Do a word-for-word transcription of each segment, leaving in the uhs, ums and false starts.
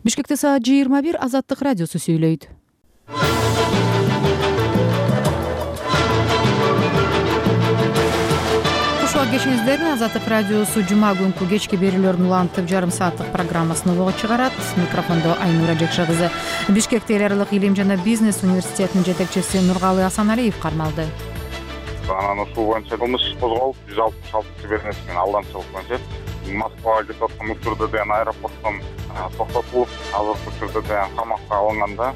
Бишкекте саат жыйырма бир. Азаттык радиосу сүйлөйт. Кушуак кешиңиздер. Азаттык радиосу жума күнкү кечки берүүлөрүн улантып жарым сааттык программасын улоо чыгарат. Микрофондо Айнура Жекша кызы. Бишкекте эл аралык илим жана бизнес университетинин жетекчиси Нургалы Асаналиев кармалды. Анан ушул боюнча кылмыш козголуп, жүз алтымыш алтынчы беренеси менен алдамчылык боюнча Москвага кетип аткан учурда деген аэропорттон токтотулуп, азыркы учурда деген камакка алынганда.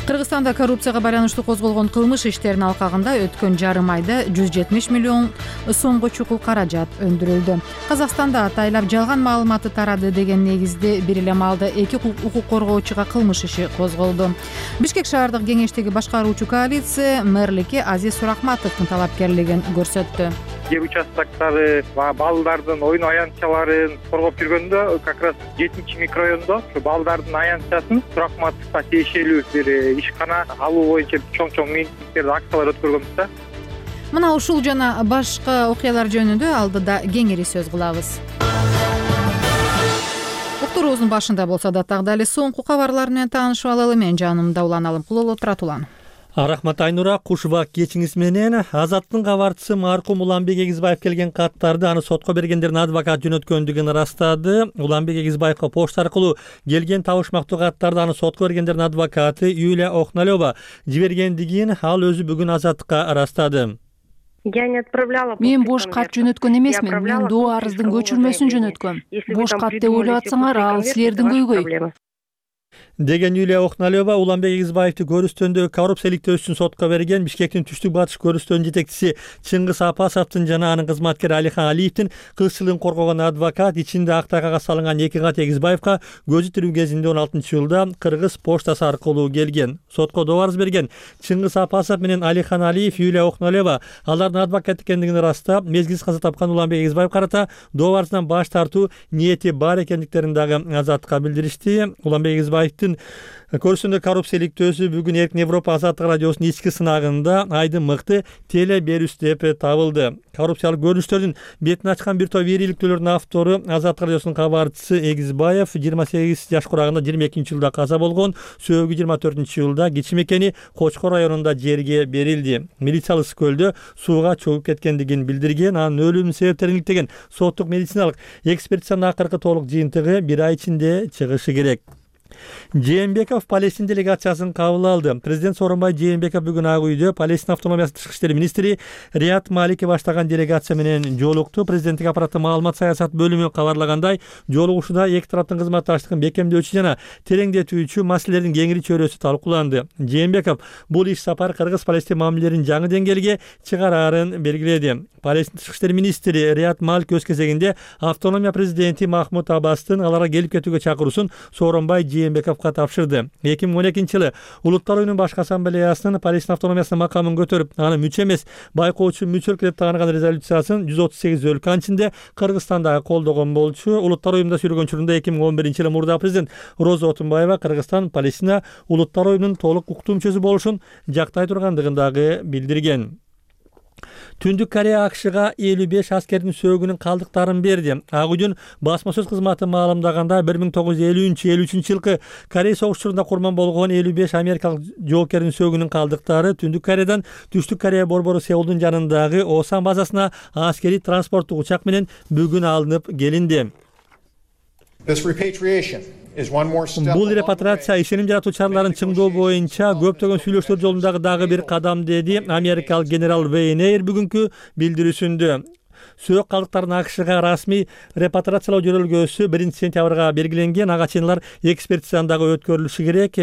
Кыргызстанда коррупцияга байланыштуу козголгон кылмыш иштеринин алкагында өткөн жарым айда жүз жетимиш миллион сомго чукул каражат өндүрүлдү. Казакстанда атайлап жалган маалыматы тарады деген негизде бир эле маалда эки укук коргоочуга кылмыш иши козголду. Бишкек шаардык кеңештеги башкаруучу коалиция мэрликке Азиз Сурахматовдун талапкерлигин көрсөттү. Жер участоктары балдардын oyun аянтчаларын коргоп жүргөндө как раз жетинчи микрорайондо ушу балдардын аянтчасын Сурахматовго тиешелүү бир ишкана алуу боюнча чоң-чоң митингдерди, акциялар өткөргөнбүз да. Мына ушул жана башка окуялар жөнүндө алдыда кеңири сөз кылабыз. Уктуруубуздун башында болсо да дагы эле соңку кабарлар менен таанышып алалы. Мен жанымда Улан Алымкулова отурат. Улан. Рахмат Айнура, кушубак кечиңиз менен. Азаттын кабарчысы маркум Уланбек Эгизбаев келген каттарды аны сотко бергендердин адвокат жөнөткөндүгүн ырастады. Уланбек Эгизбаевга почта аркылуу келген табышмактуу каттарды аны сотко бергендердин адвокаты Юлия Охналева жибергендигин ал өзү бүгүн Азаттыкка ырастады. Мен бош кат жөнөткөн эмесмин, мен доо арыздын көчүрмөсүн жөнөткөм. Бош кат деп ойлоп атсаңар, ал силердин көйгөй. Деген Юлия Охналева Уланбек Эгизбаевди көрүстөндөгү коррупциялыктөө үчүн сотко берген Бишкектин түштүк батыш көрүстөнүн жетекчиси Чыңгыз Апасовдун жана анын кызматкери Алихан Алиевдин кызчылыгын коргогон адвокат ичинде ак тайгага салынган эки кат Эгизбаевга көзү тирүү кезинде он алтынчы жылда Кыргыз поштасы аркылуу келген. Сотко доо арыз берген Чыңгыз Апасов менен Алихан Алиев Юлия Охналева алардын адвокат экендигин ырастап, мезгилсиз каза тапкан Уланбек Эгизбаев карата доо арызынан баш тартуу ниети бар экендиктерин дагы Азаттыкка билдиришти. Уланбек Эгизбаевдин көрүстөндө коррупциялыктөөсү бүгүн Эркин Европа Азаттык радиосунун ички сынагында айдын мыкты теле берүүс деп табылды. Коррупциялык көрүнүштөрдүн бетин ачкан бир топ ийгиликтүүлөрдүн автору Азаттык радиосунун кабарчысы Эгизбаев жыйырма сегиз жаш курагында жыйырма экинчи жылда каза болгон, сөөгү жыйырма төртүнчү жылда кичи мекени Кочкор районунда жерге берилди. Милициялык көлдө сууга чөгүп кеткендигин билдирген, анын өлүм себептерин иликтеген соттук медициналык экспертизанын акыркы толук жыйынтыгы бир ай ичинде чыгышы керек. Жээнбеков Палестин делегациясын кабыл алды. Президент Сооронбай Жээнбеков бүгүн Ак үйдө Палестин автономиясы тышкы иштер министри Риат Малики баштаган делегация менен жолукту. Президенттик аппараттын маалымат саясат бөлүмү кабарлагандай, жолугушууда эки тараптын кызматташтыгын бекемдөөчү жана тереңдетүүчү маселелердин кеңири чөйрөсү талкууланды. Жээнбеков бул иш сапар Кыргыз-Палестин мамилелерин жаңы деңгээлге чыгарарын белгиледи. Палестин тышкы иштер министри Риат Малик өз кезегинде автономия президенти Махмуд Аббастын аларга келип кетүүгө чакыруусун Сооронбай Жээнбековго тапшырды. эки миң он экинчи жылы Улуттар оюнунун башкы ассамблеясынын Палестин автономиясынын макамын көтөрүп, аны мүчө эмес, байкоочу мүчөлүк деп тааныган резолюциясын жүз отуз сегиз өлкө ичинде Кыргызстанда колдогон болчу. Улуттар оюнунда сүргөн учурунда эки миң он биринчи жылы мурда президент Роза Отунбаева Кыргызстан Палестина Улуттар оюнунун толук укуктуу мүчөсү болушун жактай тургандыгын дагы билдирген. Түндүк Корея АКШга элүү беш аскердин сөөгүнүн калдыктарын берди. Ак үйдүн басма сөз кызматы маалымдаганда бир миң тогуз жүз элүүнчү элүү үчүнчү жылкы Корей согушчуларында курман болгон элүү беш америкалык жоокердин сөөгүнүн калдыктары Түндүк Кореядан Түштүк Корея борбору Сеулдун жанындагы Осан базасына аскерий транспорттук учак менен бүгүн алынып келинди. Бул репатриация ишеним жаратуу чараларын чыңдоо боюнча көптөгөн сүйлөшүүлөр жолундагы дагы бир кадам, деди америкалык генерал Вейн Эйр бүгүнкү билдирүүсүндө. Сөөк калдыктарын АКШга расмий репатриациялоо жөнөлгөөсү биринчи сентябрга белгиленген. Ага чейин алар экспертизадан дагы өткөрүлүшү керек.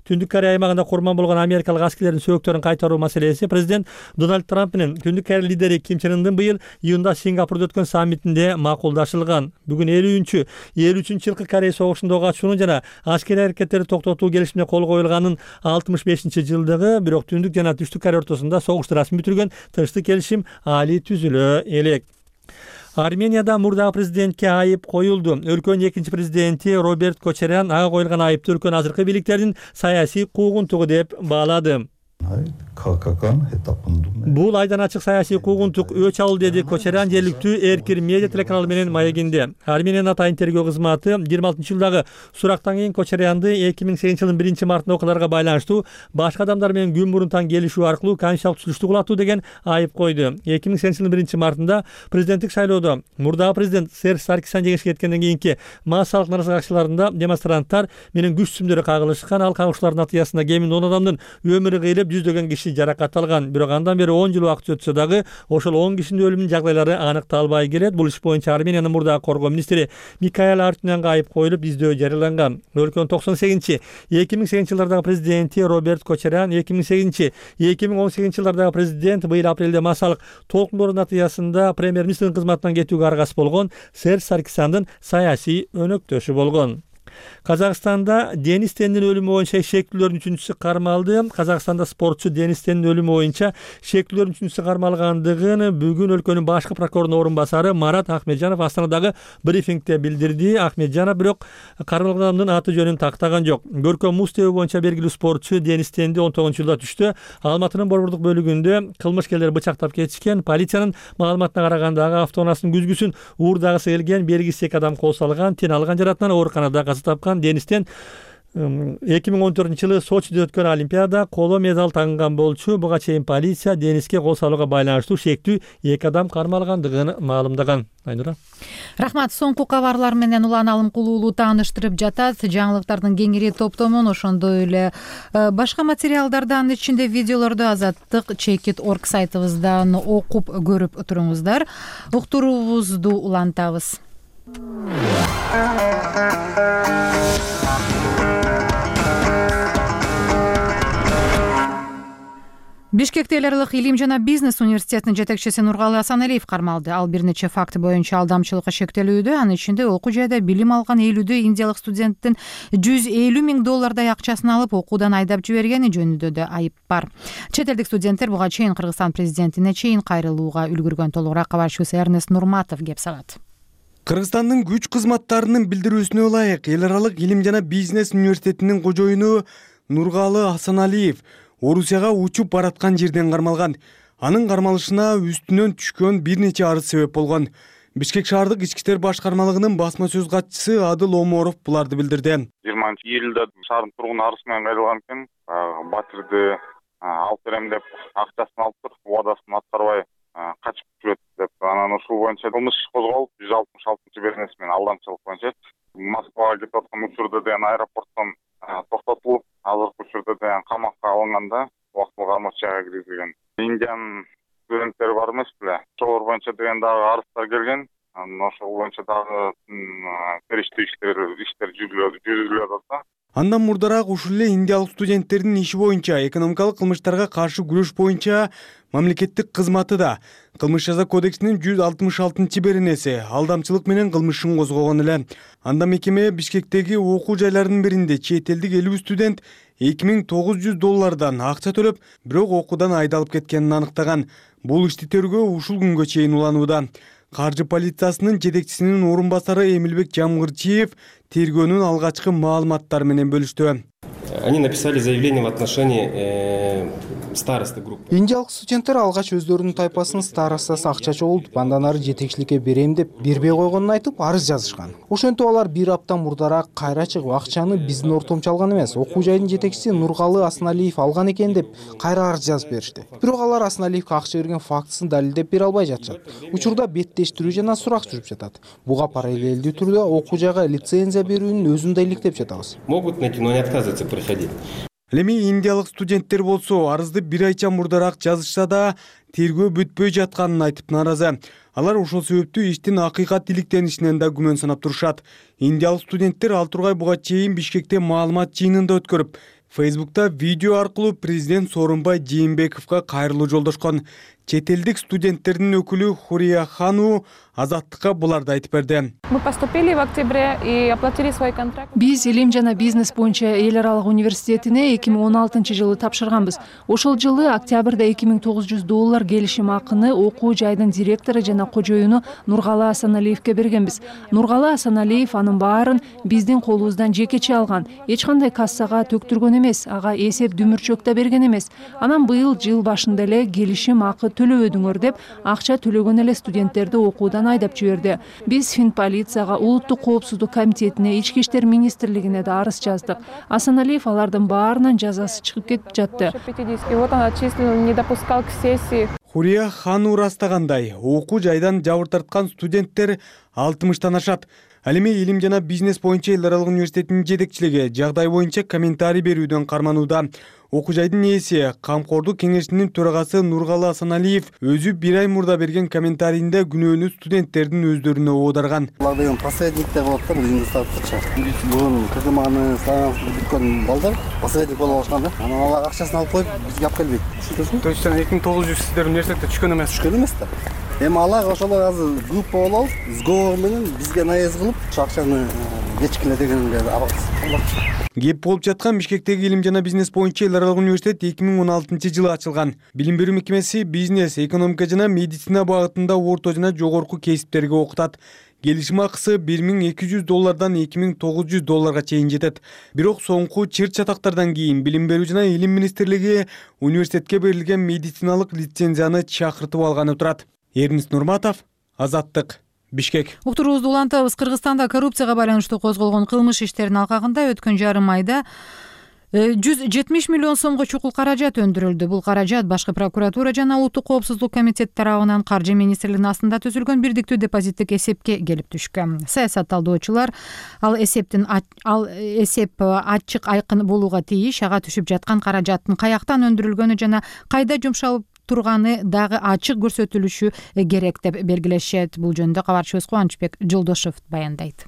Түндүк Корея аймагында курман болгон америкалык аскерлердин сөөктөрүн кайтаруу маселеси президент Дональд Трамп менен Түндүк Корея лидери Ким Чен Ындын быйыл июнда Сингапурда өткөн саммитинде макулдашылган. Бүгүн элүүнчү элүү үчүнчү жылкы Корея согушунда катышуунун жана аскерий аракеттерди токтотуу келишимине кол коюлганын алтымыш бешинчи жылдыгы, бирок Түндүк жана Түштүк Корея ортосунда согушту расмий бүтүргөн тынчтык келишим али түзүлө элек. Арменияда мурдагы президентке айып коюлду. Өлкөнүн экинчи президенти Роберт Кочарян ага коюлган айыпты өлкөнүн азыркы бийликтердин саясий куугунтугу деп баалады. Бул айдан ачык саясий куугунтук өч алуу, деди Кочарян жергиликтүү Эркир медиа телеканалы менен маегинде. Ар менен атайын тергөө кызматы жыйырма алтынчы жылдагы сурактан кийин Кочарянды эки миң сегизинчи жылдын биринчи мартында окуяларга байланыштуу башка адамдар менен күн мурун таң келишүү аркылуу конституциялык түзүлүштү кулатуу деген айып койду. эки миң сегизинчи жылдын биринчи мартында президенттик шайлоодо мурдагы президент Серж Саркисян жеңишке жеткенден кийинки массалык наразычылыктарында демонстранттар менен күч сүмдөрү кагылышкан. Ал кагылышуулардын натыйжасында кеминде он адамдын өмүрү кыйылып, жүздөгөн киши жаракат алган. Бирок андан бери он жыл убакыт өтсө дагы ошол он кишинин өлүмүнүн жагдайлары аныкталбай келет. Бул иш боюнча Армениянын мурдагы коргоо министри Микаэл Артюнянга айып коюлуп, издөө жарыяланган. Өлкөнүн токсон сегизинчи эки миң сегизинчи жылдардагы президенти Роберт Кочарян, эки миң сегизинчи эки миң он сегизинчи жылдардагы президент быйыл апрелде массалык толкундоордун натыйжасында премьер-министрдин кызматынан кетүүгө аргасыз болгон Серж Саркисяндын саясий өнөктөшү болгон. Казакстанда Денис Тендин өлүмү боюнча шектүүлөрдүн үчүнчүсү кармалды. Казакстанда спортчу Денис Тендин өлүмү боюнча шектүүлөрдүн үчүнчүсү кармалгандыгын бүгүн өлкөнүн башкы прокурорунун орун басары Марат Ахмеджанов Астанадагы брифингде билдирди. Ахмеджанов бирок кармалган адамдын аты жөнүн тактаган жок. Көркөм муз тебүү боюнча белгилүү спортчу Денис Тенди он тогузунчу жылда түштө Алматынын борбордук бөлүгүндө кылмышкерлер бычактап кетишкен. Полициянын маалыматына караганда ага автоунаасынын күзгүсүн уурдагысы келген белгисиз эки адам кол салган. Тен алган жаратынан ооруканада каза тапкан. Денистен эки миң он төртүнчү жылы Сочиде өткөн Олимпиада коло медаль тагынган болчу. Буга чейин полиция Дениске кол салууга байланыштуу шектүү эки адам кармалгандыгын маалымдаган. Айнура. Рахмат. Соңку кабарлар менен Улан Алым Кулуулу тааныштырып жатат. Жаңылыктардын кеңири топтомун, ошондой эле башка материалдардан, ичинде видеолорду Азаттык чекит точка орг сайтыбыздан окуп көрүп туруңуздар. Уктуруубузду улантабыз. Бишкекте эл аралык илим жана бизнес университетинин жетекчиси Нургалы Асаналиев кармалды. Ал бир нече факт боюнча алдамчылыкка шектелүүдө, анын ичинде окуу жайда билим алган элүүдө индиялык студенттин жүз элүү миң доллардай акчасын алып окуудан айдап жибергени жөнүндө да айып бар. Чет элдик студенттер буга чейин Кыргызстан президентине чейин кайрылууга үлгүргөн. Толугураак кабарчыбыз Эрнест Нурматов кеп салат. Кыргызстандын күч кызматтарынын билдирүүсүнө ылайык эл аралык илим жана бизнес университетинин кожоюну Нургалы Асаналиев Орусияга учуп бараткан жерден кармалган. Анын кармалышына үстүнөн түшкөн бир нече арыз себеп болгон. Бишкек шаардык ички иштер башкармалыгынын басма сөз катчысы Адыл Оморов буларды билдирди. жыйырманчы июлда шаардын тургуну арыз менен кайрылган экен. Батирди алып берем деп акчасын алып туруп, убадасын аткарбай качып жүрөт деп, анан ушул боюнча кылмыш иш козголуп, жүз алтымыш алтынчы беренеси менен алдамчылык боюнча Москвага кетип аткан учурда деген аэропорттон токтотулуп, азыркы учурда деген камакка алынганда убактылуу кармоочу жайга киргизилген. Индиянын студенттери бар эмес беле? Ошолор боюнча деген дагы арыздар келген. Анан ошол боюнча дагы териштүү иштер иштер жүргүзүлүп атат. Андан мурдараак ушул эле индиялык студенттердин иши боюнча экономикалык кылмыштарга каршы күрөш боюнча мамлекеттик кызматы да Кылмыш жаза кодексинин жүз алтымыш алтынчы беренеси алдамчылык менен кылмышын козгогон эле. Анда мекеме Бишкектеги окуу жайларынын биринде чет элдик элүү студент эки миң тогуз жүз доллардан акча төлөп, бирок окуудан айдалып кеткенин аныктаган. Бул ишти тергөө ушул күнгө чейин уланууда. Каржы полициясынын жетекчисинин орун басары Эмилбек Жамгырчиев тергөөнүн алгачкы маалыматтары менен бөлүштү. Они написали заявление в отношении старосты группы. Индиялык студенттер алгач өздөрүнүн тайпасынын старостасы акча чогултуп, андан ары жетекчиликке берем деп бербей койгонун айтып арыз жазышкан. Ошентип алар бир апта мурдараак кайра чыгып акчаны биздин ортомчу алган эмес, окуу жайдын жетекчиси Нургалы Асаналиев алган экен деп кайра арыз жазып беришти. Бирок алар Асаналиевге акча берген фактысын далилдеп бере албай жатышат. Учурда беттештирүү жана сурак жүрүп жатат. Буга параллелдүү түрдө окуу жайга лицензия берүүнүн өзүн да иликтеп жатабыз. Могут найти, но не отказываются приходить. Эми индиялык студенттер болсо арызды бир айча мурдараак жазышса да тергөө бүтпөй жатканын айтып нааразы. Алар ошол себептүү иштин акыйкат иликтенишинен да күмөн санап турушат. Индиялык студенттер ал тургай буга чейин Бишкекте маалымат жыйынында өткөрүп, Фейсбукта видео аркылуу президент Сооронбай Жээнбековго кайрылуу жолдошкон. Чет элдик студенттердин өкүлү Хурия Хану Азаттыкка буларды айтып берди. Биз илим жана бизнес боюнча эл аралык университетине эки миң он алтынчы жылы тапшырганбыз. Ошол жылы октябрда эки миң тогуз жүз доллар келишим акыны окуу жайдын директору жана кожоюну Нургала Асаналиевке бергенбиз. Нургала Асаналиев анын баарын биздин колубуздан жекече алган. Эч кандай кассага төктүргөн эмес, ага эсеп дүмүрчөк да берген эмес. Анан быйыл жыл башында эле келишим акы төлөбөдүңөр деп акча төлөгөн эле студенттерди окуудан айдап жиберди. Биз Финполицияга, Улуттук коопсуздук комитетине, Ички иштер министрлигине да арыз жаздык. Асаналиев алардын баарынан жазасы чыгып кетип жатты. Хурия Хану растагандай, окуу жайдан жабыр тарткан студенттер алтымыштан ашат. Ал эми илим жана бизнес боюнча эл аралык университетинин жетекчилиги жагдай боюнча комментарий берүүдөн карманууда. Окуу жайдын ээси, Камкордук кеңешинин төрагасы Нургала Асаналиев өзү бир ай мурда берген комментарийинде күнөөнү студенттердин өздөрүнө оодарган. Булар деген посредник деп болот да, бизди сатчы. Биз бүгүн кызманы саамсыз бүткөн балдар посредник болуп алышкан да. Анан алар акчасын алып коюп бизге алып келбейт. Түшүнөсүңбү? То есть эки миң тогуз жүз сиздер университетте түшкөн эмес. Түшкөн эмес да. Эми алар ошолор азыр группа болуп алып, сговор менен бизге наезд кылып, акчаны кечкиле дегенге абаксыз. Кеп болуп жаткан Бишкектеги илим жана бизнес боюнча эл аралык университет эки миң он алтынчы жылы ачылган. Билим берүү мекемеси бизнес, экономика жана медицина багытында орто жана жогорку кесиптерге окутат. Келишим акысы бир миң эки жүз доллардан эки миң тогуз жүз долларга чейин жетет. Бирок соңку чырт чатактардан кийин Билим берүү жана илим министрлиги университетке берилген медициналык лицензияны чакыртып алганы турат. Эрнис Нурматов, Азаттык, Бишкек. Уктуруубузду улантабыз. Кыргызстанда коррупцияга байланыштуу козголгон кылмыш иштеринин алкагында өткөн жарым айда жүз жетимиш миллион сомго чукул каражат өндүрүлдү. Бул каражат башкы прокуратура жана Улуттук коопсуздук комитети тарабынан Каржы министрлигинин астында түзүлгөн бирдиктүү депозиттик эсепке келип түшкөн. Саясат талдоочулар ал эсептин ал эсеп ачык айкын болууга тийиш, ага түшүп жаткан каражаттын каяктан өндүрүлгөнү жана кайда жумшалып турганы дагы ачык көрсөтүлүшү керек деп белгилешет. Бул жөнүндө кабарчыбыз Кубанычбек Жолдошев баяндайт.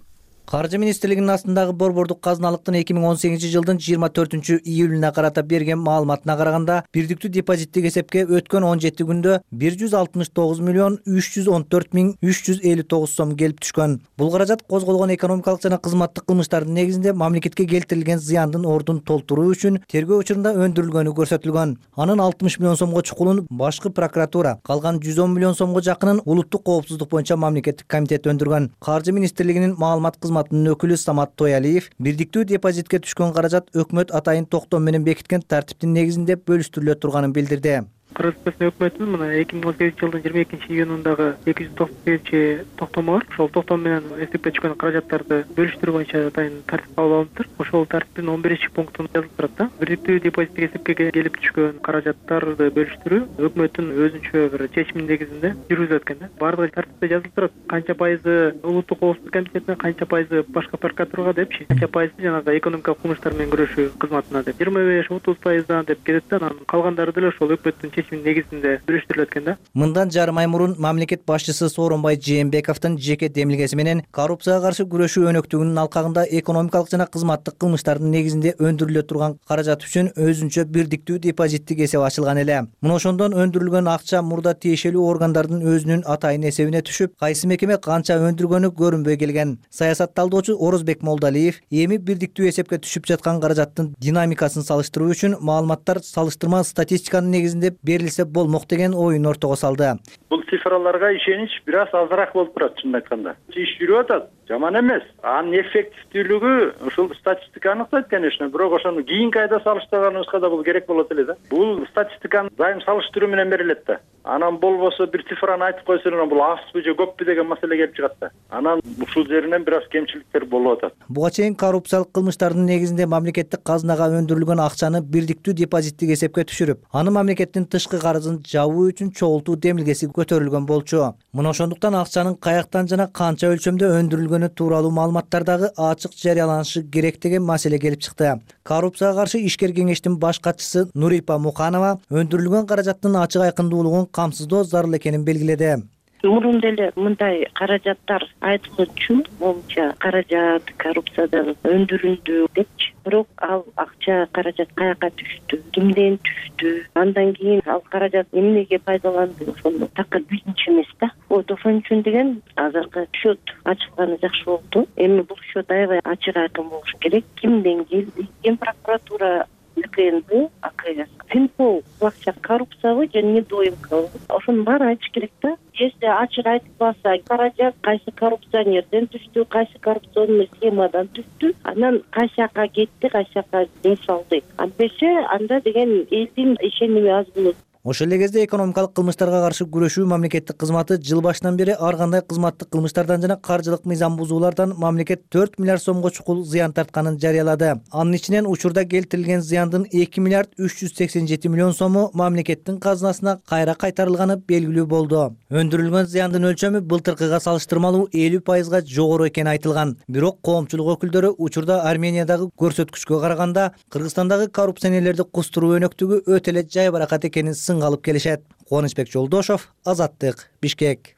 Каржы министрлигинин астындагы борбордук казыналыктын эки миң он сегизинчи жылдын жыйырма төртүнчү июлуна карата берген маалыматына караганда, бирдиктүү депозиттик эсепке өткөн он жети күндө бир жүз алтымыш тогуз миллион үч жүз он төрт миң үч жүз элүү тогуз сом келип түшкөн. Бул каражат козголгон экономикалык жана кызматтык кылмыштардын негизинде мамлекетке келтирилген зыяндын ордун толтуруу үчүн тергөө учурунда өндүрүлгөнү көрсөтүлгөн. Анын алтымыш миллион сомго чукулун башкы прокуратура, калган жүз он миллион сомго жакынын Улуттук коопсуздук боюнча мамлекеттик комитет өндүргөн. Каржы министрлигинин маалымат өкүлү Самат Тоялиев бирдиктүү депозитке түшкөн каражат өкмөт атайын токтом менен бекиткен тартиптин негизинде бөлүштүрүлө турганын билдирди. Кыргызстан өкмөтүнүн мына эки миң он сегизинчи жылдын жыйырма экинчи июнундагы эки жүз токсон сегизинчи токтому бар. Ошол токтом менен эсепке түшкөн каражаттарды бөлүштүрүү боюнча атайын тартип кабыл алыныптыр. Ошол тартиптин он биринчи пунктунда жазылып турат да. Бирдиктүү депозиттик эсепке келип түшкөн каражаттарды бөлүштүрүү өкмөттүн өзүнчө бир чечиминин негизинде жүргүзүлөт экен да. Баардыгы тартипте жазылып турат. Канча пайызы Улуттук коопсуздук комитетине, канча пайызы башка прокуратурага депчи, канча пайызы жанагы экономикалык кылмыштар менен күрөшүү кызматына деп. жыйырма беш отуз пайыздан деп кетет да. Анан калгандары деле ошол өкмөттүн чечиминин негизинде бөлүштүрүлөт экен да. Мындан жарым ай мурун мамлекет башчысы Сооронбай Жээнбековдун жеке демилгеси менен коррупцияга каршы күрөшүү өнөктүгүнүн алкагында экономикалык жана кызматтык кылмыштардын негизинде өндүрүлө турган каражат үчүн өзүнчө бирдиктүү депозиттик эсеп ачылган эле. Мына ошондон өндүрүлгөн акча мурда тиешелүү органдардын өзүнүн атайын эсебине түшүп, кайсы мекеме канча өндүргөнү көрүнбөй келген. Саясат талдоочу Орозбек Молдалиев эми бирдиктүү эсепке түшүп жаткан каражаттын динамикасын салыштыруу үчүн маалыматтар салыштырма статистиканын негизинде берилсе болмок деген оюн ортого салды. Бул цифраларга ишенич бир аз азыраак болуп турат, чынын айтканда. Иш жүрүп атат, жаман эмес. Анын эффективдүүлүгү ушул статистика аныктайт, конечно, бирок ошону кийинки айда салыштырганыбызга да бул керек болот эле да. Бул статистиканы дайым салыштыруу менен берилет да. Анан болбосо бир цифраны айтып койсоң, бул азбы же көппү деген маселе келип чыгат да. Анан ушул жеринен бир аз кемчиликтер болуп атат. Буга чейин коррупциялык кылмыштардын негизинде мамлекеттик казынага өндүрүлгөн акчаны бирдиктүү депозиттик эсепке түшүрүп, аны мамлекеттин тышкы карызын жабуу үчүн чогултуу демилгеси көтөрүлгөн болчу. Мына ошондуктан акчанын каяктан жана канча өлчөмдө өндүрүлгөнү тууралуу маалыматтар дагы ачык жарыяланышы керек деген маселе келип чыкты. Коррупцияга каршы ишкер кеңештин баш катчысы Нурипа Муканова өндүрүлгөн каражаттын ачык айкындуулугун камсыздоо зарыл экенин белгиледи. Мурун деле мындай каражаттар айтылчу, моунча каражат коррупциядан өндүрүлдү депчи. Бирок ал акча каражат каяка түштү, кимден түштү, андан кийин ал каражат эмнеге пайдаланды, ошону такыр билинчү эмес да. Вот ошон үчүн деген азыркы счет ачылганы жакшы болду. Эми бул счет аябай ачык айкын болуш керек. Кимден келди? Ген прокуратура, КНБ, АКС, Финпол, акча коррупциябы же недоимкабы? Ошонун баарын айтыш керек да. Если ачык айтылбаса, каражат кайсы коррупционерден түштү, кайсы коррупционный схемадан түштү, анан кайсы жака кетти, кайсы жака жумшалды. Антесе анда деген элдин ишеними аз болот. Ошол эле кезде экономикалык кылмыштарга каршы күрөшүү мамлекеттик кызматы жыл башынан бери ар кандай кызматтык кылмыштардан жана каржылык мыйзам бузуулардан мамлекет төрт миллиард сомго чукул зыян тартканын жарыялады. Анын ичинен учурда келтирилген зыяндын эки миллиард үч жүз сексен жети миллион сому мамлекеттин казынасына кайра кайтарылганы белгилүү болду. Өндүрүлгөн зыяндын өлчөмү былтыркыга салыштырмалуу элүү пайызга жогору экени айтылган. Бирок коомчулук өкүлдөрү учурда Армениядагы көрсөткүчкө караганда Кыргызстандагы коррупционерлерди кустуруу өнөктүгү өтө эле жайбаракат экенин алып келишет. Кубанычбек Жолдошов, Азаттык, Бишкек.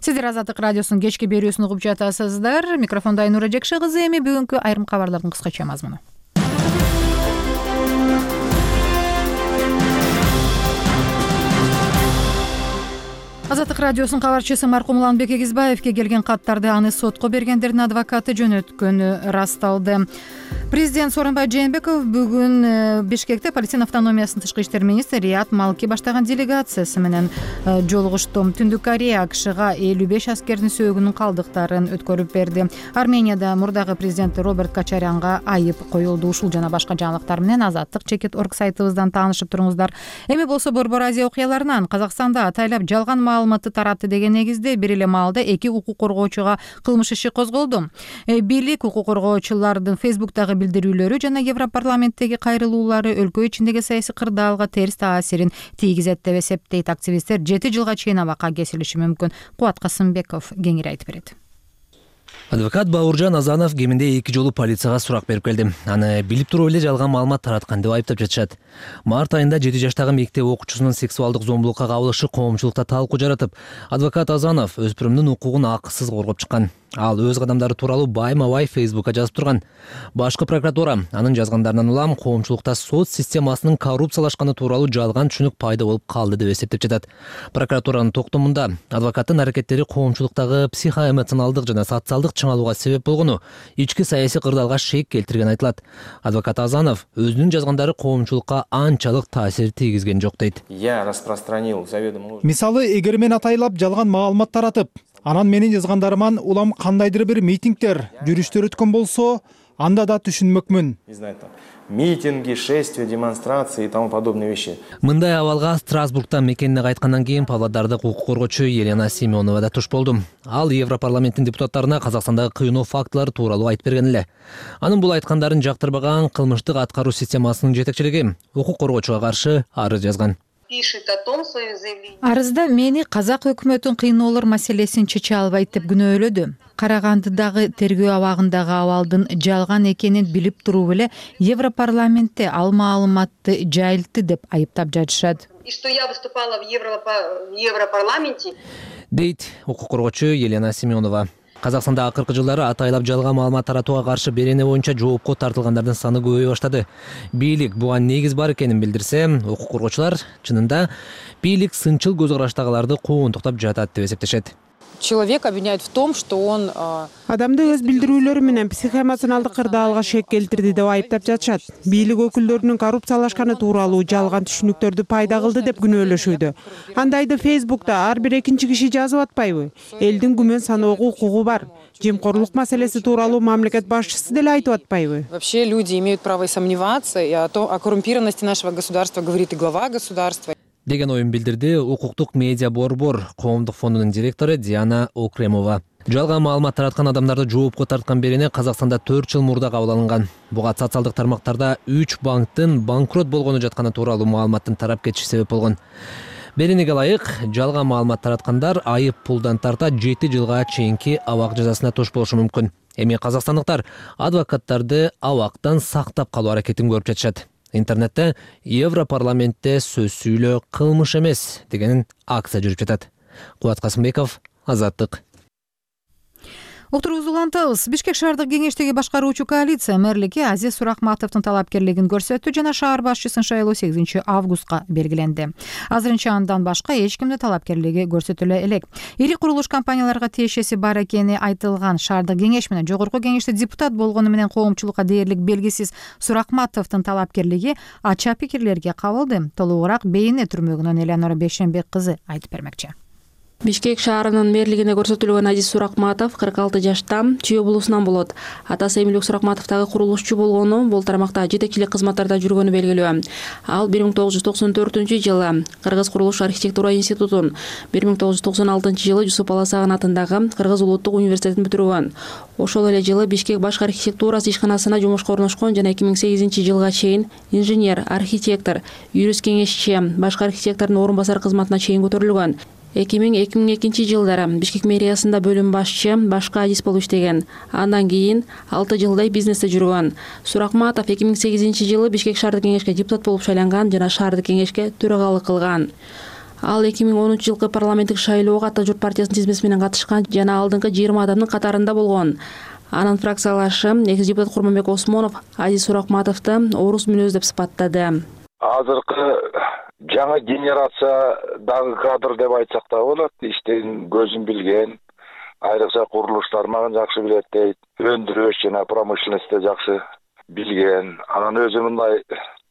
Сиздер Азаттык радиосунун кечки берүүсүн угуп жатасыздар. Микрофонда Айнура Жекше кызы. Эми бүгүнкү айрым кабарлардын кыскача мазмуну. Азаттык радиосунун кабарчысы маркум Уланбек Эгизбаевке келген каттарды аны сотко бергендердин адвокаты жөнөткөнү расталды. Президент Сооронбай Жээнбеков бүгүн Бишкекте Палестина автономиясынын тышкы иштер министри Риат Малки баштаган делегациясы менен жолугушту. Түндүк Корея АКШга элүү беш аскердин сөөгүнүн калдыктарын өткөрүп берди. Арменияда мурдагы президент Роберт Кочарянга айып коюлду. Ушул жана башка жаңылыктар менен Азаттык чекит орг сайтыбыздан таанышып туруңуздар. Эми болсо Борбор Азия окуяларынан Казакстанда атайлап жалган маалыматты таратты деген негизде бир эле маалда эки укук коргоочуга кылмыш иши козголду. Бийлик укук коргоочулардын Фейсбуктагы билдирүүлөрү жана Европарламенттеги кайрылуулары өлкө ичиндеги саясий кырдаалга терс таасирин тийгизет деп эсептейт. Активисттер жети жылга чейин абакка кесилиши мүмкүн. Кубат Касымбеков кеңири айтып берет. Адвокат Бауыржан Азанов кеминде эки жолу полицияга сурак берип келди. Аны билип туруп эле жалган маалымат тараткан деп айыптап жатышат. Март айында жети жаштагы мектеп окуучусунун сексуалдык зомбулукка кабылышы коомчулукта талкуу жаратып, адвокат Азанов өспүрүмдүн укугун акысыз коргоп чыккан. Ал өз кадамдары тууралуу байма-бай Фейсбукка жазып турган. Башкы прокуратура анын жазгандарынан улам коомчулукта соц системасынын коррупциялашканы тууралуу жалган түшүнүк пайда болуп калды деп эсептеп жатат. Прокуратуранын токтомунда адвокаттын аракеттери коомчулуктагы психоэмоционалдык жана социалдык чыңалууга себеп болгону, ички саясий кырдаалга шек келтирген айтылат. Адвокат Азанов өзүнүн жазгандары коомчулукка анчалык таасир тийгизген жок дейт. Я распространил заведомо. Мисалы, эгер мен атайлап жалган маалымат таратып, анан менин жазгандарыман улам кандайдыр бир митингдер, жүрүштөр өткөн болсо, анда да түшүнмөкмүн. Митинги, шествия, демонстрации и тому подобные вещи. Мындай абалга Страсбургтан мекенине кайткандан кийин Павлодардык укук коргоочу Елена Семенова да туш болду. Ал Европарламенттин депутаттарына Казакстандагы кыйноо фактылары тууралуу айтып берген эле. Анын бул айткандарын жактырбаган кылмыштык аткаруу системасынын жетекчилиги укук коргоочуга каршы арыз жазган. Арызда мени казак өкмөтүнүн кыйноолор маселесин чече албайт деп күнөөлөдү. Карагандыдагы тергөө абагындагы абалдын жалган экенин билип туруп эле Европарламентте ал маалыматты жайылтты деп айыптап жатышат. И что я выступала в Европарламенте, дейт укук коргоочу Елена Семенова. Казакстанда акыркы жылдары атайлап жалган маалымат таратууга каршы берене боюнча жоопко тартылгандардын саны көбөйө баштады. Бийлик буга негиз бар экенин билдирсе, укук коргоочулар чынында бийлик сынчыл көз караштагыларды куугунтуктап жатат деп эсептешет. Человек обвиняет в том, что он адамды өз билдирүүлөрү менен психоэмоционалдык кырдаалга шек келтирди деп айыптап жатышат. Бийлик өкүлдөрүнүн коррупциялашканы тууралуу жалган түшүнүктөрдү пайда кылды деп күнөөлөшүүдө. Андайды Фейсбукта ар бир экинчи киши жазып атпайбы? Элдин күмөн саноого укугу бар. Жемкорлук маселеси тууралуу мамлекет башчысы деле айтып атпайбы? Вообще люди имеют право и сомневаться, и о том, о коррумпированности нашего государства говорит и глава государства. Деген оюн билдирди укуктук медиа борбор коомдук фондунун директору Диана Окремова. Жалган маалымат тараткан адамдарды жоопко тарткан берене Казакстанда төрт жыл мурда кабыл алынган. Буга социалдык тармактарда үч банктын банкрот болгону жатканы тууралуу маалыматтын тарап кетиши себеп болгон. Беренеге ылайык жалган маалымат тараткандар айып пулдан тарта жети жылга чейинки абак жазасына туш болушу мүмкүн. Эми казакстандыктар адвокаттарды абактан сактап калуу аракетин көрүп жатышат. Интернетте Европарламентте сөз сүйлөө кылмыш эмес деген акция жүрүп жатат. Кубат Касымбеков, Азаттык. Уктуруубузду улантабыз. Бишкек шаардык кеңештеги башкаруучу коалиция мэрликке Азиз Суракматовдун талапкерлигин көрсөттү жана шаар башчысын шайлоо сегизинчи августка белгиленди. Азырынча андан башка эч кимде талапкерлиги көрсөтүлө элек. Ири курулуш компанияларга тиешеси бар экени айтылган шаардык кеңеш менен жогорку кеңеште депутат болгону менен коомчулукка дээрлик белгисиз Суракматовдун талапкерлиги ача пикирлерге кабылды. Толугураак Бейне түрмөгүнөн Элеонора Бейшенбек кызы айтып бермекчи. Бишкек шаарынын мэрлигине көрсөтүлгөн Азиз Суракматов кырк алты жашта, Чүй облусунан болот. Атасы Эмилбек Суракматов дагы курулушчу болгону, бул тармакта жетекчилик кызматтарда жүргөнү белгилүү. Ал бир миң тогуз жүз токсон төртүнчү жылы Кыргыз курулуш архитектура институтун, бир миң тогуз жүз токсон алтынчы жылы Жусуп Баласагын атындагы Кыргыз улуттук университетин бүтүргөн. Ошол эле жылы Бишкек баш архитектурасы ишканасына жумушка орношкон жана эки миң сегизинчи жылга чейин инженер, архитектор, юрист кеңешчи, башкы архитектордун орун басары кызматына чейин көтөрүлгөн. эки миң эки миң экинчи жылдары Бишкек мэриясында бөлүм башчы, башкы адис болуп иштеген. Андан кийин алты жылдай бизнесте жүргөн. Суракматов эки миң сегизинчи жылы Бишкек шаардык кеңешке депутат болуп шайланган жана шаардык кеңешке төрагалык кылган. Ал эки миң онунчу жылкы парламенттик шайлоого Ата журт партиясынын тизмеси менен катышкан жана алдыңкы жыйырма адамдын катарында болгон. Анын фракциялашы экс депутат Курманбек Осмонов Азиз Суракматовду орус мүнөз деп сыпаттады. Азыркы жаңы генерациядагы кадр деп айтсак да болот. Иштин көзүн билген, айрыкча курулуш тармагын жакшы билет дейт. Өндүрүш жана промышленностьте жакшы билген. Анан өзү мындай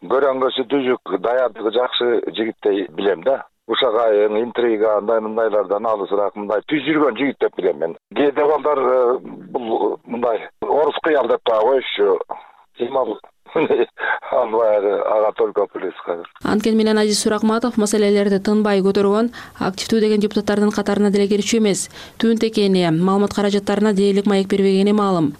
көрөңгөсү түзүк, даярдыгы жакшы жигиттей билем да. Ушак айың, интрига, андай мындайлардан алысыраак мындай түз жүргөн жигит деп билем мен. Кээде балдар бул мындай орус кыял деп да коюшчу. Темал Анткени менен Азиз Суракматов маселелерди тынбай көтөргөн, активдүү деген депутаттардын катарына деле кирчү эмес. Түнт экени, маалымат каражаттарына дээрлик маек бербегени маалым.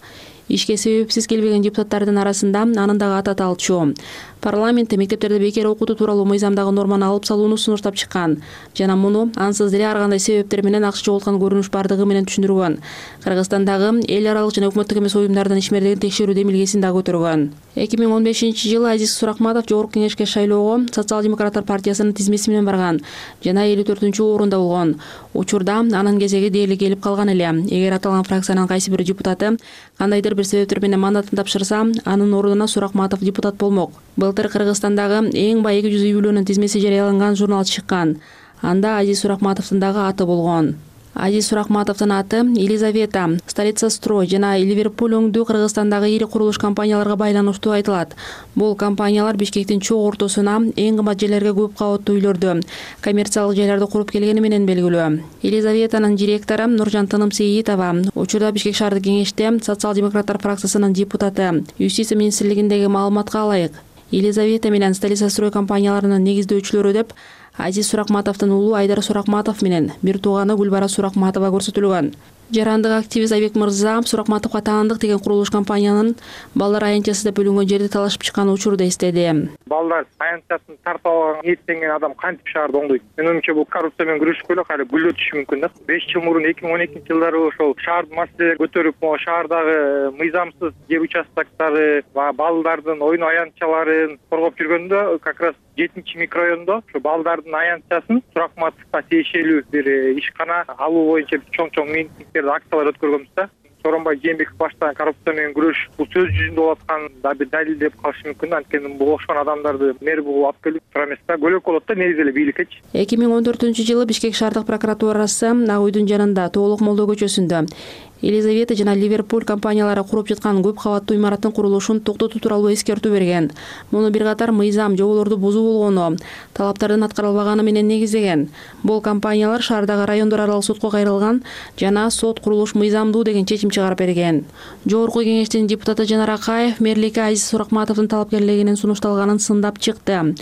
Ишке себепсиз келбеген депутаттардын арасында анын дагы аты аталчу. Парламентте мектептерде бекер окутуу тууралуу мыйзамдагы норманы алып салууну сунуштап чыккан жана муну ансыз деле ар кандай себептер менен акча жоголткан көрүнүш бардыгы менен түшүндүргөн. Кыргызстандагы эл аралык жана өкмөттүк эмес уюмдардын ишмердигин текшерүү демилгесин дагы көтөргөн. эки миң он бешинчи жылы Азиз Суракматов жогорку кеңешке шайлоого Социал-демократтар партиясынын тизмеси менен барган жана элүү төртүнчү орунда болгон. Учурда анын кезеги дээрлик келип калган эле. Эгер аталган фракциянын кайсы бир депутаты кандайдыр бир себептер менен мандатын тапшырса, анын ордуна Суракматов депутат болмок. Былтыр Кыргызстандагы эң бай эки жүз үй бүлөнүн тизмеси жарыяланган журнал чыккан. Анда Азиз Суракматовдун дагы аты болгон. Азиз Суракматовдун аты Елизавета, Столица строй жана Ливерпуль өңдүү Кыргызстандагы ири курулуш компанияларга байланыштуу айтылат. Бул компаниялар Бишкектин чоң ортосуна эң кымбат жерлерге көп кабаттуу үйлөрдү, коммерциялык жайларды куруп келгени менен белгилүү. Елизаветанын директору Нуржан Тынымсейитова учурда Бишкек шаардык кеңеште Социал-демократтар фракциясынын депутаты. Юстиция министрлигиндеги маалыматка ылайык, Елизавета менен Столица строй компанияларынын негиздөөчүлөрү деп Азиз Суракматовдун уулу Айдар Суракматов менен бир тууганы Гүлбара Суракматова көрсөтүлгөн. Жарандык активист Айбек Мырза Суракматовго таандык деген курулуш компаниянын балдар аянтчасы деп бөлүнгөн жерди талашып чыккан учурду эстеди. Балдар аянтчасын тартып алган ниеттенген адам кантип шаарды оңдойт? Менин оюмча бул коррупция менен күрөшүп эле кайра гүлдөтүшү мүмкүн да. беш жыл мурун эки миң он экинчи жылдары ошол шаардын маселелерин көтөрүп, могу шаардагы мыйзамсыз жер участоктары, балдардын оюн аянтчаларын коргоп жүргөндө как раз жетинчи микрорайондо ушу балдардын аянтчасын Суракматовго тиешелүү бир ишкана алуу боюнча чоң-чоң митингдерди, акциялар өткөргөнбүз да. Сооронбай Жээнбеков баштаган коррупция менен күрөш бул сөз жүзүндө болуп аткан да бир далил деп калышы мүмкүн. Анткени бул окшогон адамдарды мэр бул алып келип тура эмес да, көлөк болот да негизи эле бийликкечи. эки миң он төртүнчү жылы Бишкек шаардык прокуратурасы Ак үйдүн жанында Тоолук Молдо көчөсүндө Елизавета жана Ливерпуль компаниялары куруп жаткан көп кабаттуу имараттын курулушун токтотуу тууралуу эскертүү берген. Муну бир катар мыйзам жоболорду бузуу болгону, талаптардын аткарылбаганы менен негиздеген. Бул компаниялар шаардагы райондор аралык сотко кайрылган жана сот курулуш мыйзамдуу деген чечим чыгарып берген. Жогорку кеңештин депутаты Жанар Акаев мэрликке Азиз Суракматовдун талапкерлигинин сунушталганын сындап чыкты.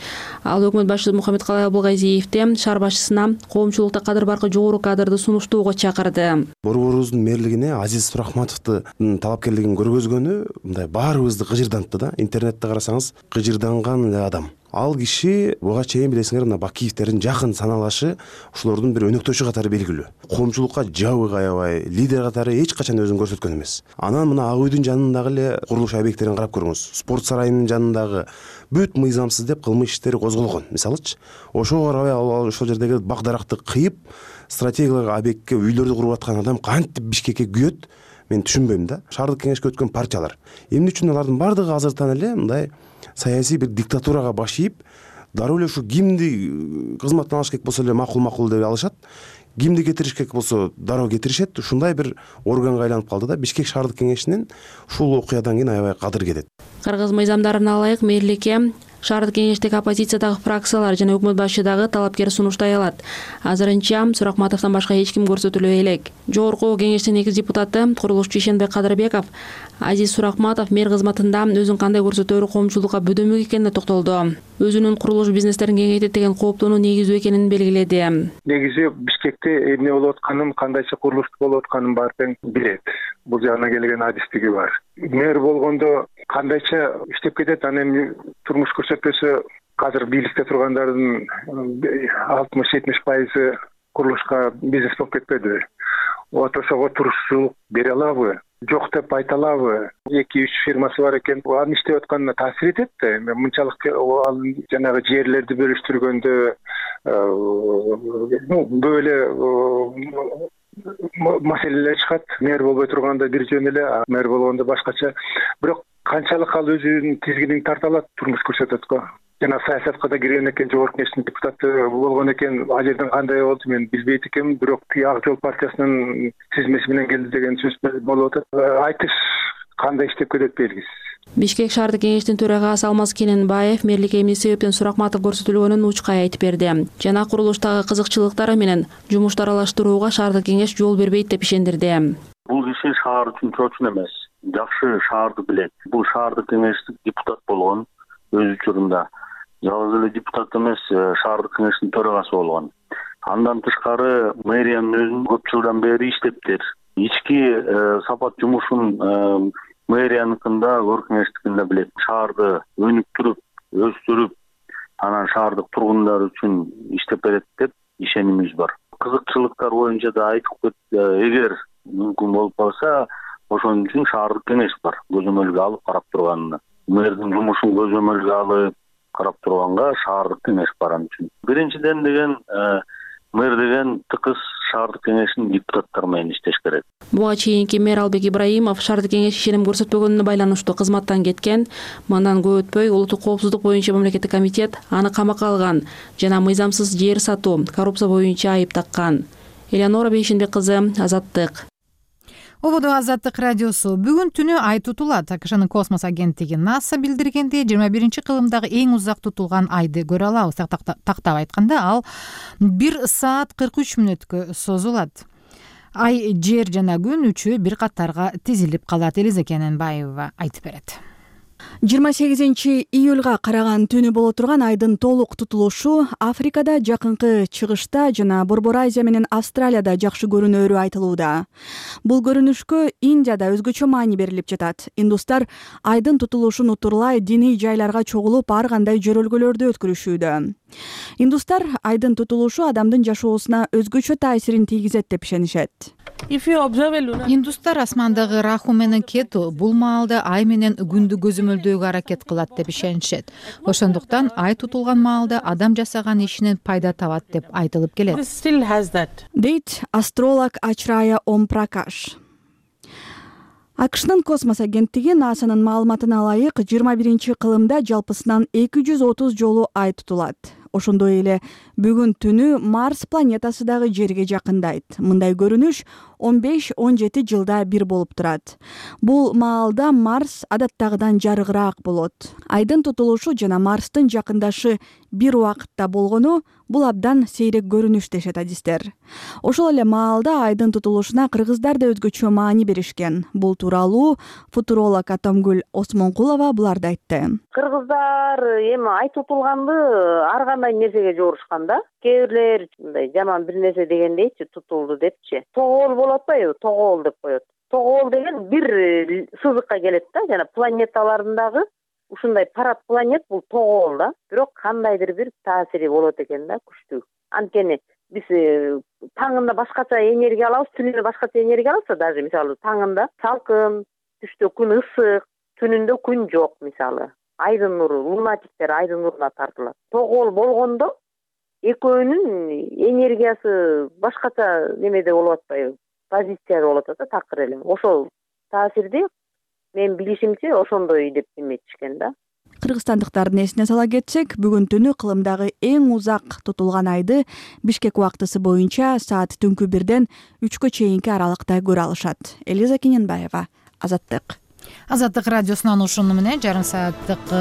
Ал өкмөт башчысы Мухаммедкалай Абылгазиевди шаар башчысына коомчулукта кадыр баркы жогору кадрды сунуштоого чакырды. Борборубуздун мэрлигине Азиз Суракматовдун талапкерлигин көргөзгөнү мындай баарыбызды кыжырдантты да. Интернетте карасаңыз кыжырданган эле адам. ал киши буга чейин билесиңер мына Бакиевдердин жакын саналашы ушулордун бир өнөктөшү катары белгилүү. Коомчулукка жабык аябай, лидер катары эч качан өзүн көрсөткөн эмес. Анан мына Ак үйдүн жанындагы эле курулуш объекттерин карап көрүңүз. Спорт сарайынын жанындагы бүт мыйзамсыз деп кылмыш иштери козголгон. Мисалычы, ошого карабай ошол жердеги бак даракты кыйып, стратегиялык объектке үйлөрдү куруп аткан адам кантип Бишкекке күйөт? Мен түшүнбөйм да. Шаардык кеңешке өткөн партиялар эмне үчүн алардын бардыгы азыртан эле мындай саясий бир диктатурага баш ийип, дароо эле ушу кимди кызматтан алыш керек болсо эле макул-макул деп алышат. Кимди кетириш керек болсо дароо кетиришет. Ушундай бир органга айланып калды да. Бишкек шаардык кеңешинин ушул окуядан кийин аябай кадыр кетет. Кыргыз мыйзамдарына ылайык мэрликке шаардык кеңештеги оппозициядагы фракциялар жана өкмөт башы дагы талапкер сунуштай алат. Азырынча Суракматовдон башка эч ким көрсөтүлбөй элек. Жогорку кеңештин экиз депутаты курулушчу Ишенбек Кадырбеков Азиз Суракматов мэр кызматында өзүн кандай көрсөтөөрү коомчулукка бөдөмөк экенине токтолду. Өзүнүн курулуш бизнестерин кеңейтет деген кооптонуу негиздүү экенин белгиледи. Негизи Бишкекте эмне болуп атканын, кандайча курулуш болуп атканын баары тең билет. Бул жагына келген адистиги бар. Мэр болгондо кандайча иштеп кетет, анан эми турмуш көрсөтпөсө азыр бийликте тургандардын алтымыш жетимиш пайызы курулушка бизнес болуп кетпеди. Отошого турушчулук бере алабы? Жок деп айта алабы? эки үч фирмасы бар экен. Анын иштеп атканына таасир этет да. Эми мынчалык ал жанагы жерлерди бөлүштүргөндө ну böyle маселелер чыгат. Мэр болбой турганда бир жөн эле, мэр болгондо башкача. Бирок канчалык ал өзүнүн тизгинин тарта алат, турмуш көрсөтөт го. Жана саясатка да кирген экен, жогорку кеңештин депутаты болгон экен. Ал жерден кандай болду мен билбейт экенмин, бирок Ак жол партиясынын тизмеси менен келди деген сөз болуп атат. Айтыш кандай иштеп кетет белгисиз. Бишкек шаардык кеңештин төрагасы Алмаз Кененбаев мэрликке эмне себептен Суракматов көрсөтүлгөнүн учкай айтып берди. Жана курулуштагы кызыкчылыктары менен жумушту аралаштырууга шаардык кеңеш жол бербейт деп ишендирди. Бул киши шаар үчүн чоочун эмес, жакшы шаарды билет. Бул шаардык кеңештик депутат болгон өз учурунда. Жалгыз эле депутат эмес, шаардык кеңештин төрагасы болгон. Андан тышкары мэриянын өзүн көп жылдан бери иштептир. Ички сапат жумушун мэрияныкында, өкмөт кеңештикинде билет. Шаарды өнүктүрүп, өстүрүп, анан шаардык тургундар үчүн иштеп берет деп ишенимиз бар. Кызыкчылыктар боюнча да айтып кетти. Эгер мүмкүн болуп калса, ошон үчүн шаардык кеңеш бар. Көзөмөлгө алып карап турганына. Мэрдин жумушун көзөмөлгө алып карап турганга шаардык кеңеш бар анын үчүн. Биринчиден деген мэр деген тыкыз шаардык кеңештин депутаттары менен иштеш керек. Буга чейинки мэр Албек Ибраимов шаардык кеңеш ишеним көрсөтпөгөнүнө байланыштуу кызматтан кеткен. Мындан көп өтпөй улуттук коопсуздук боюнча мамлекеттик комитет аны камакка алган жана мыйзамсыз жер сатуу, коррупция боюнча айып таккан. Элеонора Бейшенбек кызы, Азаттык. Ободо Азаттык радиосу бүгүн түнү ай тутулат. АКШнын космос агенттиги НАСА билдиргендей жыйырма биринчи кылымдагы эң узак тутулган айды көрө алабыз. Тактап айтканда ал бир саат кырк үч мүнөткө созулат. Ай, жер жана күн үчөө бир катарга тизилип калат. Элиза Кененбаева айтып берет. жыйырма сегизинчи июлга караган түнү боло турган айдын толук тутулушу Африкада, Жакынкы Чыгышта жана Борбор Азия менен Австралияда жакшы көрүнөөрү айтылууда. Бул көрүнүшкө Индияда өзгөчө маани берилип жатат. Индустар айдын тутулушун утурлай диний жайларга чогулуп ар кандай жөрөлгөлөрдү өткөрүшүүдө. Индустар айдын тутулушу адамдын жашоосуна өзгөчө таасирин тийгизет деп ишенишет. Индустар асмандагы Раху менен Кету бул маалда ай менен күндү көзөмөлдөөгө аракет кылат деп ишенишет. Ошондуктан ай тутулган маалда адам жасаган ишинен пайда табат деп айтылып келет. Дейт астролог Ачрая Ом Пракаш. АКШнын космос агенттиги НАСАнын маалыматына ылайык жыйырма биринчи кылымда жалпысынан эки жүз отуз жолу ай тутулат. Ошондой эле бүгүн түнү Марс планетасы дагы жерге жакындайт. Мындай көрүнүш он беш он жети жылда бир болуп турат. Бул маалда Марс адаттагыдан жарыгыраак болот. Айдын тутулушу жана Марстын жакындашы бир убакытта болгону бул абдан сейрек көрүнүш дешет адистер. Ошол эле маалда айдын тутулушуна кыргыздар да өзгөчө маани беришкен. Бул тууралуу футуролог Атамгүл Осмонкулова буларды айтты. Кыргыздар эми ай тутулганды ар кандай нерсеге жорушкан да. Кээ бирлер мындай жаман бир нерсе дегендейчи тутулду депчи. Тогоол болуп атпайбы? Тогоол деп коет. Тогоол деген бир сызыкка келет да, жана планеталардын дагы ушундай парад планет бул тогол да, бирок кандайдыр бир таасири болот экен да, күчтүү. Анткени биз таңында башкача энергия алабыз, түнүндө башкача энергия алабыз. Даже мисалы таңында салкын, түштө күн ысык, түнүндө күн жок. Мисалы айдын нуру, лунатиктер айдын нуруна тартылат. Тогол болгондо экөөнүн энергиясы башкача немеде болуп атпайбы, позицияда болуп атат да, такыр эле. Ошол таасирди мен билишимче ошондой деп эметишкен да. Кыргызстандыктардын эсине сала кетсек, бүгүн түнү кылымдагы эң узак тутулган айды Бишкек убактысы боюнча саат түнкү бирден үчкө чейинки аралыкта көрө алышат. Элиза Кененбаева, Азаттык. Азаттык радиосунан ушуну менен жарым сааттык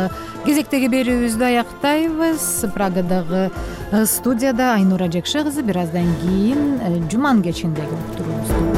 кезектеги берүүбүздү аяктайбыз. Прагадагы студияда Айнура Жекше кызы, бир аздан кийин Жуман кечиндеги уктуруубузду